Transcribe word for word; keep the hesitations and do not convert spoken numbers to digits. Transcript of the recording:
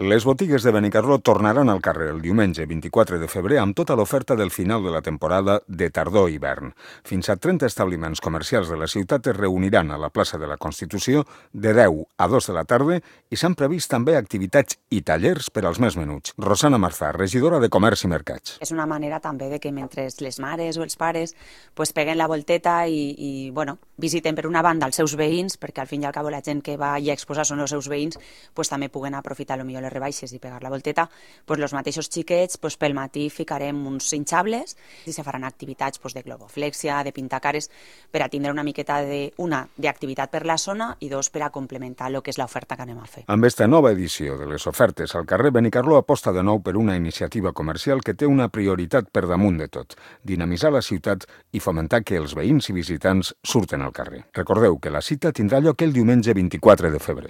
Les botigues de Benicarló tornaran al carrer el diumenge vint-i-quatre de febrer amb tota l'oferta del final de la temporada de tardor-hivern. Fins a trenta establiments comercials de la ciutat es reuniran a la plaça de la Constitució de deu a dos de la tarda i s'han previst també activitats i tallers per als més menuts. Rosana Marzà, regidora de Comerç i Mercats. És una manera també de que mentre les mares o els pares pues, peguen la volteta i, i bueno, visiten per una banda els seus veïns, perquè al fin i al cabo la gent que va i a exposar són els seus veïns, pues, també puguen aprofitar potser les rebaixes i pegar la volteta, pues, els mateixos xiquets pues, pel matí ficarem uns hinchables i se faran activitats pues, de globoflexia, de pintar cares, per a tindre una miqueta de, una, d'activitat per la zona i dos, per a complementar el que és l'oferta que anem a fer. Amb esta nova edició de les ofertes al carrer, Benicarló aposta de nou per una iniciativa comercial que té una prioritat per damunt de tot: dinamitzar la ciutat i fomentar que els veïns i visitants surten al carrer. Recordeu que la cita tindrà lloc el diumenge vint-i-quatre de febrer.